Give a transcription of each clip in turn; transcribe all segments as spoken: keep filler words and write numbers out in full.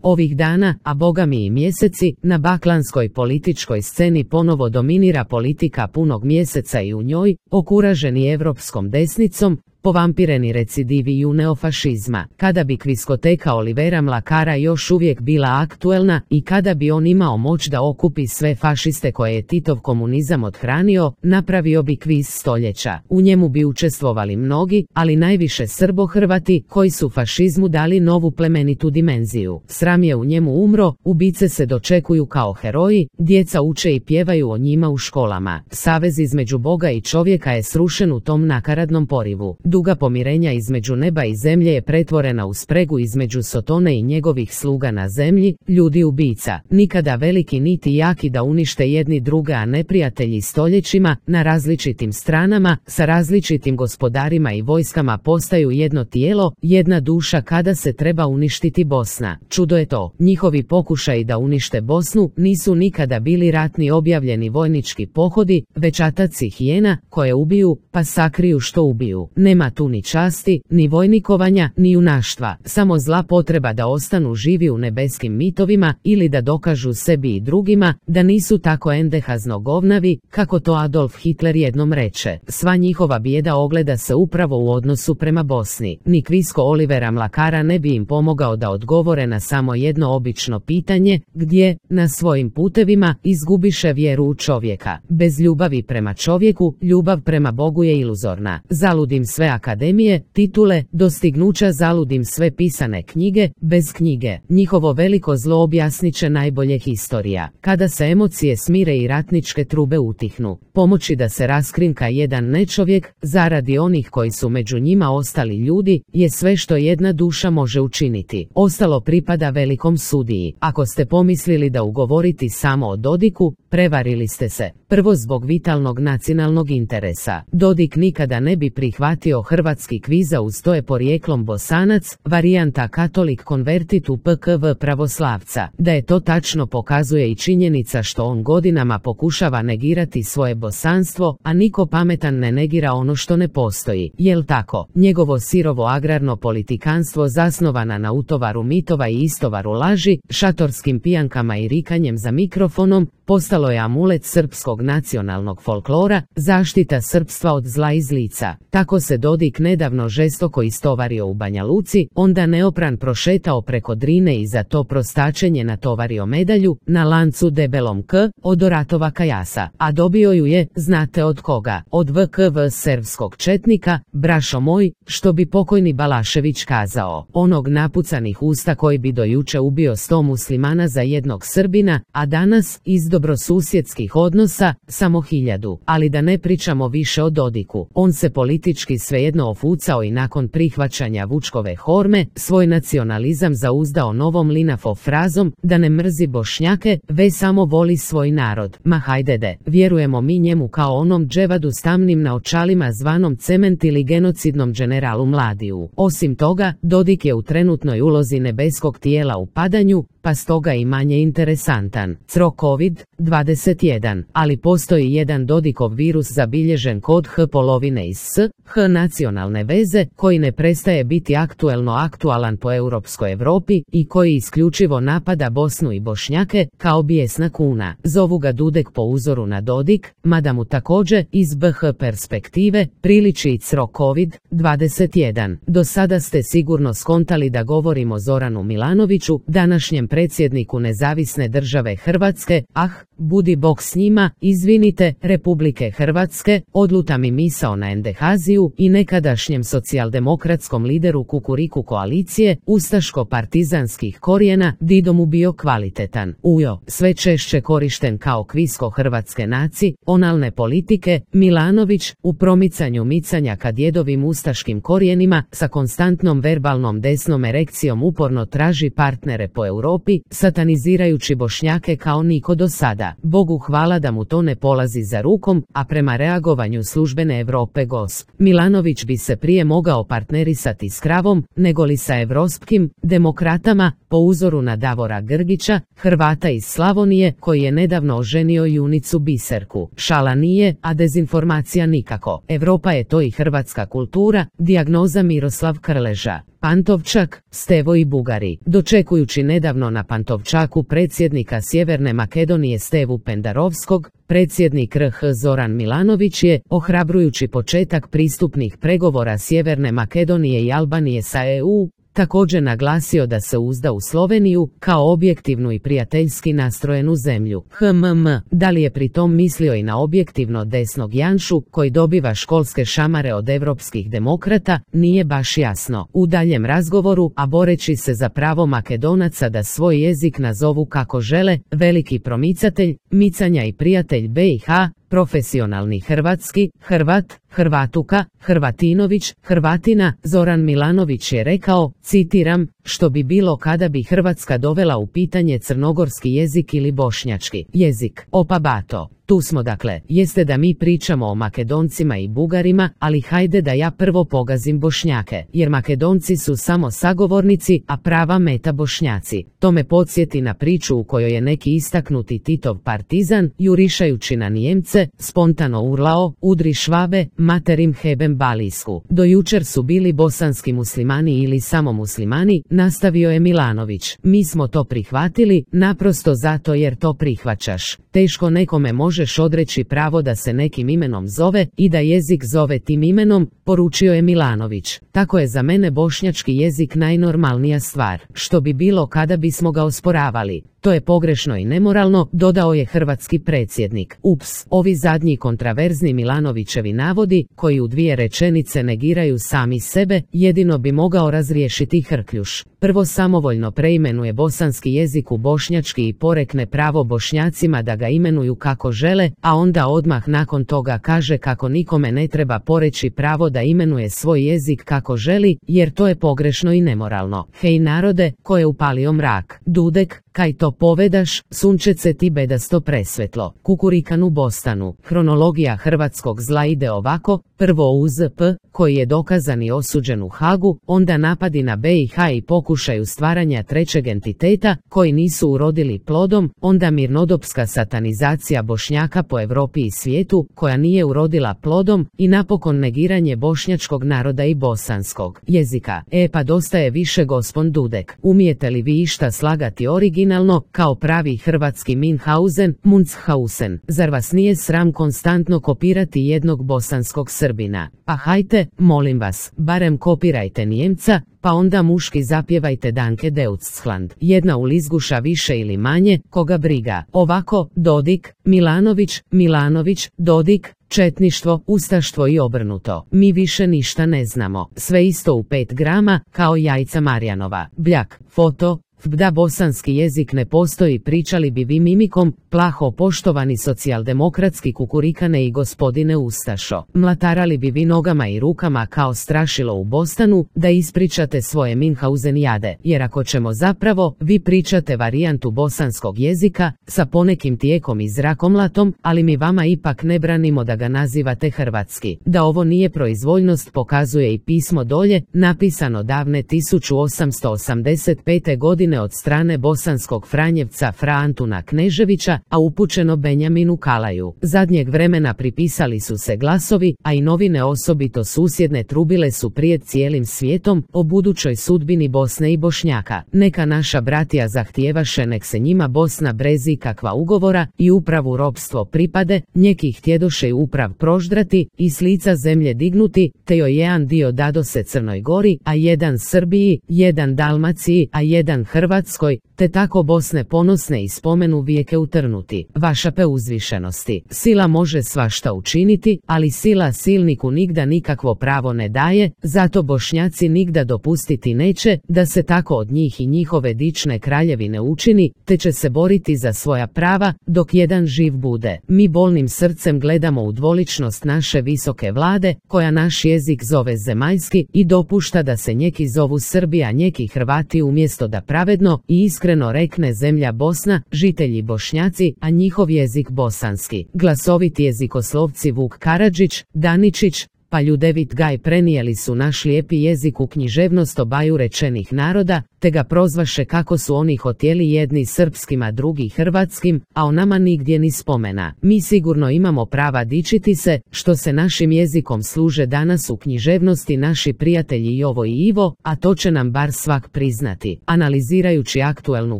Ovih dana, a bogami i mjeseci, na baklanskoj političkoj sceni ponovo dominira politika punog mjeseca i u njoj, okuraženi evropskom desnicom, povampireni recidiviju neofašizma. Kada bi kviskoteka Olivera Mlakara još uvijek bila aktuelna i kada bi on imao moć da okupi sve fašiste koje je Titov komunizam othranio, napravio bi kviz stoljeća. U njemu bi učestvovali mnogi, ali najviše Srbo-Hrvati, koji su fašizmu dali novu plemenitu dimenziju. Sram je u njemu umro, ubice se dočekuju kao heroji, djeca uče i pjevaju o njima u školama. Savez između Boga i čovjeka je srušen u tom nakaradnom porivu. Duga pomirenja između neba i zemlje je pretvorena u spregu između Sotone i njegovih sluga na zemlji, ljudi ubica. Nikada veliki niti jaki da unište jedni druge, a neprijatelji stoljećima, na različitim stranama, sa različitim gospodarima i vojskama postaju jedno tijelo, jedna duša kada se treba uništiti Bosna. Čudo je to, njihovi pokušaji da unište Bosnu nisu nikada bili ratni objavljeni vojnički pohodi, već ataci hijena, koje ubiju, pa sakriju što ubiju. Nema tu ni časti, ni vojnikovanja, ni junaštva, samo zla potreba da ostanu živi u nebeskim mitovima ili da dokažu sebi i drugima da nisu tako endehazno govnavi, kako to Adolf Hitler jednom reče. Sva njihova bijeda ogleda se upravo u odnosu prema Bosni. Ni kvisko Olivera Mlakara ne bi im pomogao da odgovore na samo jedno obično pitanje, gdje, na svojim putevima, izgubiše vjeru u čovjeka. Bez ljubavi prema čovjeku, ljubav prema Bogu je iluzorna. Zaludim sve akademije, titule, dostignuća, zaludim sve pisane knjige, bez knjige. Njihovo veliko zlo objasnit će najbolje historija. Kada se emocije smire i ratničke trube utihnu, pomoći da se raskrinka jedan nečovjek, zaradi onih koji su među njima ostali ljudi, je sve što jedna duša može učiniti. Ostalo pripada velikom sudiji. Ako ste pomislili da ugovoriti samo o Dodiku, prevarili ste se. Prvo zbog vitalnog nacionalnog interesa. Dodik nikada ne bi prihvatio hrvatski kviza uz to je porijeklom Bosanac, varijanta katolik konvertit u P K V pravoslavca. Da je to tačno pokazuje i činjenica što on godinama pokušava negirati svoje bosanstvo, a niko pametan ne negira ono što ne postoji. Jel tako? Njegovo sirovo agrarno politikanstvo zasnovana na utovaru mitova i istovaru laži, šatorskim pijankama i rikanjem za mikrofonom, postalo je amulet srpskog nacionalnog folklora, zaštita srpstva od zla i zlica. Tako se Dodik nedavno žestoko istovario u Banja Luci, onda neopran prošetao preko Drine i za to prostačenje natovario medalju, na lancu debelom K, od Oratova Kajasa, a dobio ju je, znate od koga? Od V K V serbskog četnika, brašo moj, što bi pokojni Balašević kazao, onog napucanih usta koji bi do juče ubio sto muslimana za jednog Srbina, a danas, iz dobrosusjedskih odnosa, samo hiljadu. Ali da ne pričamo više o Dodiku. On se politički svejedno ofucao i nakon prihvaćanja Vučkove horme, svoj nacionalizam zauzdao novom Linafov frazom, da ne mrzi Bošnjake, već samo voli svoj narod. Ma hajdede, vjerujemo mi njemu kao onom dževadu s tamnim naočalima zvanom Cement ili genocidnom generalu Mladiju. Osim toga, Dodik je u trenutnoj ulozi nebeskog tijela u padanju, pa stoga i manje interesantan. Cro kovid dvadeset jedan, ali postoji jedan Dodikov virus zabilježen kod H polovine iz S, H nacionalne veze, koji ne prestaje biti aktuelno aktualan po europskoj Europi i koji isključivo napada Bosnu i Bošnjake, kao bijesna kuna. Zovu ga Dudek po uzoru na Dodik, mada mu također, iz B H perspektive, priliči i Cro kovid dvadeset jedan. Do sada ste sigurno skontali da govorimo o Zoranu Milanoviću, današnjem predsjedniku nezavisne države Hrvatske, ah, budi Bog s njima, izvinite, Republike Hrvatske, odluta mi misao na endehaziju i nekadašnjem socijaldemokratskom lideru Kukuriku koalicije, ustaško-partizanskih korijena, Dido mu bio kvalitetan. Ujo, sve češće korišten kao kvisko hrvatske naci, onalne politike, Milanović, u promicanju micanja ka djedovim ustaškim korijenima, sa konstantnom verbalnom desnom erekcijom uporno traži partnere po Europi, satanizirajući Bošnjake kao niko do sada. Bogu hvala da mu to ne polazi za rukom, a prema reagovanju službene Europe gosp. Milanović bi se prije mogao partnerisati s kravom, nego li sa evropskim demokratama, po uzoru na Davora Grgića, Hrvata iz Slavonije, koji je nedavno oženio junicu Biserku. Šala nije, a dezinformacija nikako. Europa je to i hrvatska kultura, dijagnoza Miroslav Krleža. Pantovčak, Stevo i Bugari. Dočekujući nedavno održano na Pantovčaku predsjednika Sjeverne Makedonije Stevu Pendarovskog, predsjednik R H Zoran Milanović je, ohrabrujući početak pristupnih pregovora Sjeverne Makedonije i Albanije sa E U, također naglasio da se uzda u Sloveniju kao objektivnu i prijateljski nastrojenu zemlju. Hmm, da li je pritom mislio i na objektivno desnog Janšu, koji dobiva školske šamare od europskih demokrata, nije baš jasno. U daljem razgovoru, a boreći se za pravo Makedonaca da svoj jezik nazovu kako žele, veliki promicatelj, micanja i prijatelj B i H, profesionalni hrvatski, Hrvat, Hrvatuka, Hrvatinović, Hrvatina, Zoran Milanović je rekao, citiram, što bi bilo kada bi Hrvatska dovela u pitanje crnogorski jezik ili bošnjački jezik. Opa bato. Tu smo dakle, jeste da mi pričamo o Makedoncima i Bugarima, ali hajde da ja prvo pogazim Bošnjake, jer Makedonci su samo sagovornici, a prava meta Bošnjaci. To me podsjeti na priču u kojoj je neki istaknuti Titov partizan, jurišajući na Nijemce, spontano urlao, udri Švabe, materim hebem balijsku. Do jučer su bili bosanski muslimani ili samo muslimani, nastavio je Milanović. Mi smo to prihvatili, naprosto zato jer to prihvaćaš. Teško nekome možeš odreći pravo da se nekim imenom zove i da jezik zove tim imenom, poručio je Milanović. Tako je za mene bošnjački jezik najnormalnija stvar, što bi bilo kada bismo ga osporavali. To je pogrešno i nemoralno, dodao je hrvatski predsjednik. Ups, ovi zadnji kontraverzni Milanovićevi navodi, koji u dvije rečenice negiraju sami sebe, jedino bi mogao razriješiti Hrkljuš. Prvo samovoljno preimenuje bosanski jezik u bošnjački i porekne pravo Bošnjacima da ga imenuju kako žele, a onda odmah nakon toga kaže kako nikome ne treba poreći pravo da imenuje svoj jezik kako želi, jer to je pogrešno i nemoralno. Hej narode, ko je upalio mrak? Dudek, kaj to povedaš, sunčece ti bedasto presvetlo. Kukurikan u Bostanu. Hronologija hrvatskog zla ide ovako, prvo U Z P, koji je dokazan i osuđen u Hagu, onda napadi na B i H i pokušaju stvaranja trećeg entiteta, koji nisu urodili plodom, onda mirnodopska satanizacija Bošnjaka po Europi i svijetu, koja nije urodila plodom, i napokon negiranje bošnjačkog naroda i bosanskog jezika. E pa dosta je više gospon Dudek. Umijete li vi išta slagati originalno, kao pravi hrvatski Minhausen, Munchhausen? Zar vas nije sram konstantno kopirati jednog bosanskog Srbina? Pa hajte, molim vas, barem kopirajte Nijemca, pa onda muški zapjevajte Danke Deutschland. Jedna ulizguša više ili manje, koga briga. Ovako, Dodik, Milanović, Milanović, Dodik, četništvo, ustaštvo i obrnuto. Mi više ništa ne znamo. Sve isto u pet grama, kao jajca Marjanova. Bljak, foto, da bosanski jezik ne postoji, pričali bi vi mimikom, plaho poštovani socijaldemokratski kukurikane i gospodine Ustašo. Mlatarali bi vi nogama i rukama kao strašilo u Bostanu, da ispričate svoje Minhausen jade, jer ako ćemo zapravo, vi pričate varijantu bosanskog jezika, sa ponekim tijekom i zrakomlatom, ali mi vama ipak ne branimo da ga nazivate hrvatski. Da ovo nije proizvoljnost pokazuje i pismo dolje, napisano davne tisuću osamsto osamdeset pete godine od strane bosanskog Franjevca Fra Antuna Kneževića, a upućeno Benjaminu Kalaju. Zadnjeg vremena pripisali su se glasovi, a i novine osobito susjedne trubile su prijed cijelim svijetom o budućoj sudbini Bosne i Bošnjaka. Neka naša bratija zahtijevaše nek se njima Bosna brezi kakva ugovora i upravu ropstvo pripade, njeki htjedoše i uprav proždrati i s lica zemlje dignuti, te joj jedan dio dadose Crnoj Gori, a jedan Srbiji, jedan Dalmaciji, a jedan Hrvatskoj, te tako Bosne ponosne i spomenu vijeke utrnuti. Vaša preuzvišenosti. Sila može svašta učiniti, ali sila silniku nigda nikakvo pravo ne daje, zato Bošnjaci nigda dopustiti neće da se tako od njih i njihove dične kraljevine učini, te će se boriti za svoja prava, dok jedan živ bude. Mi bolnim srcem gledamo u dvoličnost naše visoke vlade, koja naš jezik zove zemaljski i dopušta da se njeki zovu Srbija, njeki Hrvati umjesto da pravedno i iskreno rekne zemlja Bosna, žitelji Bošnjaci, a njihov jezik bosanski. Glasoviti jezikoslovci Vuk Karadžić, Daničić, pa Ljudevit Gaj prenijeli su naš lijepi jezik u književnost obaju rečenih naroda, te ga prozvaše kako su oni hotjeli jedni srpskim a drugi hrvatskim, a o nama nigdje ni spomena. Mi sigurno imamo prava dičiti se, što se našim jezikom služe danas u književnosti naši prijatelji Jovo i Ivo, a to će nam bar svak priznati. Analizirajući aktuelnu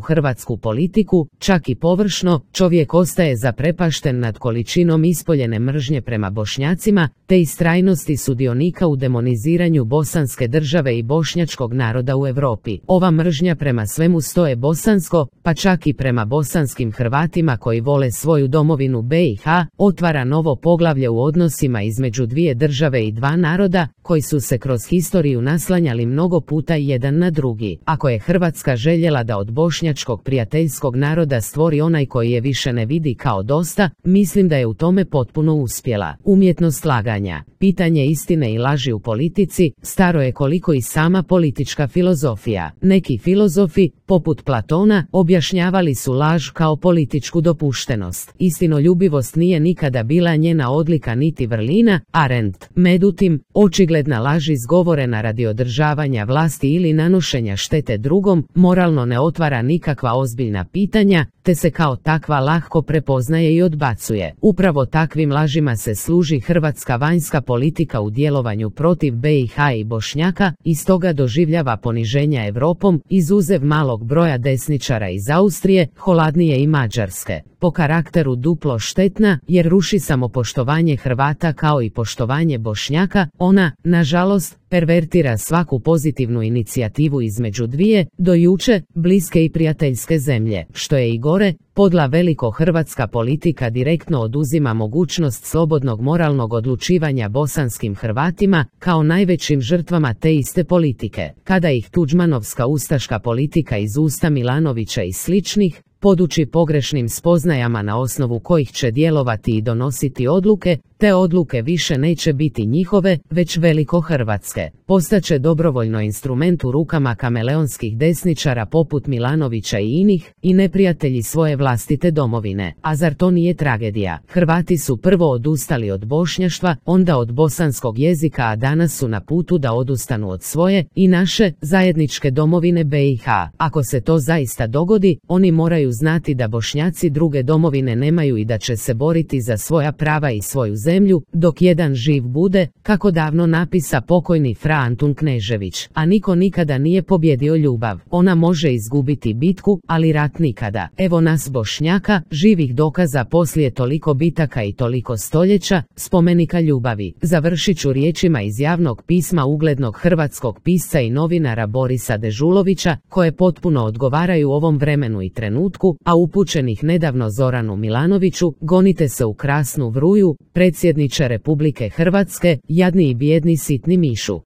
hrvatsku politiku, čak i površno, čovjek ostaje zaprepašten nad količinom ispoljene mržnje prema Bošnjacima, te istrajnosti sudionika u demoniziranju bosanske države i bošnjačkog naroda u Europi. Ova mržnja prema svemu stoje bosansko, pa čak i prema bosanskim Hrvatima koji vole svoju domovinu B i H, otvara novo poglavlje u odnosima između dvije države i dva naroda, koji su se kroz historiju naslanjali mnogo puta jedan na drugi. Ako je Hrvatska željela da od bošnjačkog prijateljskog naroda stvori onaj koji je više ne vidi kao dosta, mislim da je u tome potpuno uspjela. Umjetnost laganja, pitanje istine i laži u politici, staro je koliko i sama politička filozofija. Neki filozofi, poput Platona, objašnjavali su laž kao političku dopuštenost. Istinoljubivost nije nikada bila njena odlika niti vrlina, Arendt. Međutim, očigledna laž izgovorena radi održavanja vlasti ili nanošenja štete drugom, moralno ne otvara nikakva ozbiljna pitanja, te se kao takva lahko prepoznaje i odbacuje. Upravo takvim lažima se služi hrvatska vanjska politika u djelovanju protiv B i H i Bošnjaka, i stoga doživljava poniženja Europom, izuzev malog broja desničara iz Austrije, Holandije i Mađarske. Po karakteru duplo štetna, jer ruši samopoštovanje Hrvata kao i poštovanje Bošnjaka, ona, nažalost, pervertira svaku pozitivnu inicijativu između dvije, do juče, bliske i prijateljske zemlje. Što je i gore, podla veliko hrvatska politika direktno oduzima mogućnost slobodnog moralnog odlučivanja bosanskim Hrvatima, kao najvećim žrtvama te iste politike. Kada ih tuđmanovska ustaška politika iz usta Milanovića i sličnih, poduči pogrešnim spoznajama na osnovu kojih će djelovati i donositi odluke, te odluke više neće biti njihove, već veliko hrvatske. Postaće dobrovoljno instrument u rukama kameleonskih desničara poput Milanovića i inih, i neprijatelji svoje vlastite domovine. A zar to nije tragedija? Hrvati su prvo odustali od bošnjaštva, onda od bosanskog jezika, a danas su na putu da odustanu od svoje i naše zajedničke domovine B i H. Ako se to zaista dogodi, oni moraju znati da Bošnjaci druge domovine nemaju i da će se boriti za svoja prava i svoju zemlju, dok jedan živ bude, kako davno napisa pokojni Fra Antun Knežević. A niko nikada nije pobjedio ljubav. Ona može izgubiti bitku, ali rat nikada. Evo nas Bošnjaka, živih dokaza poslije toliko bitaka i toliko stoljeća, spomenika ljubavi. Završit ću riječima iz javnog pisma uglednog hrvatskog pisca i novinara Borisa Dežulovića, koje potpuno odgovaraju ovom vremenu i trenutku, a upućenih nedavno Zoranu Milanoviću: gonite se u krasnu vruju, predsjedniče Republike Hrvatske, jadni i bijedni sitni mišu.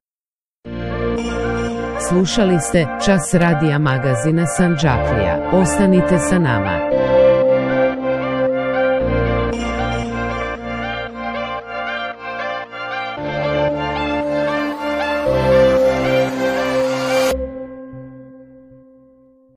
Slušali ste Čas radija magazina Sandžaklija. Ostanite sa nama.